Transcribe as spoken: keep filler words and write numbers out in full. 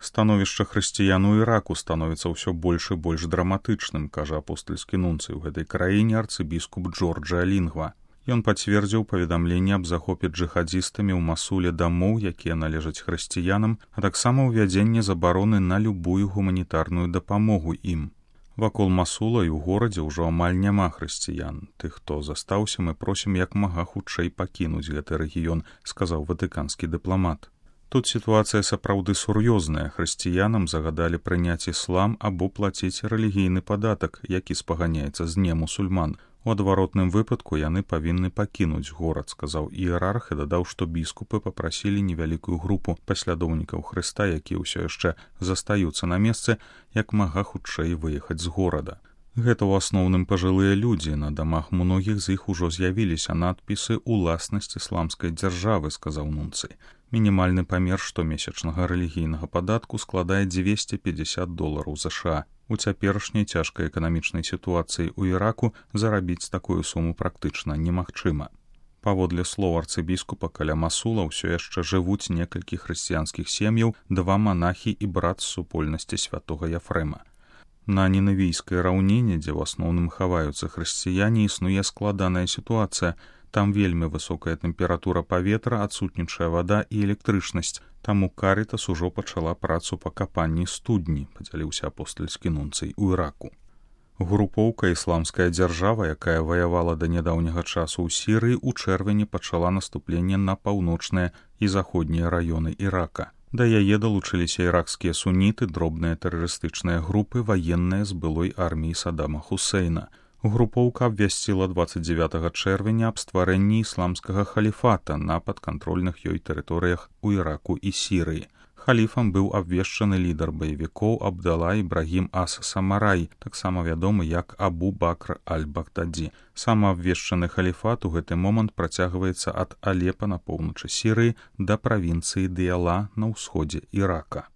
Становішча хрысціян у Іраку становіцца ўсё больш і больш драматычным, кажа апостальскі нунцый у гэтай краіне арцыбіскуп Джорджа Лінгва. Ён пацвердзіў паведамленне аб захопе джыхадзістамі ў Масуле дамоў, якія належаць хрысціянам, а таксама ўвядзенне забароны на любую гуманітарную дапамогу ім. Вакол Масула і ў горадзе ўжо амаль няма хрысціян. Тых, хто застаўся, мы просім як мага хутчэй пакінуць гэты рэгіён, сказаў ватыканскі дыпламат. Тут сітуацыя сапраўды сур'ёзная. Хрысціянам загадалі прыняць іслам або плаціць рэлігійны падатак, які спаганяецца з немусульман. У адваротным выпадку яны павінны пакінуць горад, сказаў іерарх і дадаў, што біскупы папрасілі невялікую групу паслядоўнікаў Хрыста, якія ўсё яшчэ застаюцца на месцы, як мага хутчэй выехаць з горада. Гэта ў асноўным пажылыя людзі, на дамах многіх з іх ужо з'явіліся надпісы «Уласнасць ісламскай дзяржавы», сказаў нунцый. Мінімальны памер штомесячнага рэлігійнага падатку складае дзвесце пятьдесят долараў США. У цяперашняй цяжкай эканамічнай сітуацыі ў Іраку зарабіць такую суму практычна немагчыма. Паводле слоў арцыбіскупа, каля Масула ўсё яшчэ жывуць некалькі хрысціянскіх сем'яў, два манахі і брат з супольнасці святога Яфрэма. На нінавійскай раўніне, дзе ў асноўным хаваюцца хрысціяне, існуе складаная сітуацыя. Там вельмі высокая тэмпература паветра, адсутнічае вада і электрычнасць. Таму Карытас ужо пачала працу па капанні студні, падзяліўся апостальскі нунцый у Іраку. Групоўка «Ісламская дзяржава», якая ваявала да нядаўняга часу ў Сірыі, у чэрвені пачала наступленне на паўночныя і заходнія раёны Ірака. Да яе далучыліся іракскія суніты, дробныя тэрарыстычныя групы, ваенныя з былой арміі Саддама Хусейна. Групоўка абвясціла дваццаць дзевятага чэрвеня аб стварэнні ісламскага халіфата на падкантрольных ёй тэрыторыях у Іраку і Сірыі. Халіфам быў абвешчаны лідар баевікоў Абдала Ібрагім ас-Самарай, таксама вядомы як Абу Бакр аль-Багдадзі. Самаабвешчаны халіфат у гэты момант працягваецца ад Алепа на поўначы Сірыі да правінцыі Дыяла на ўсходзе Ірака.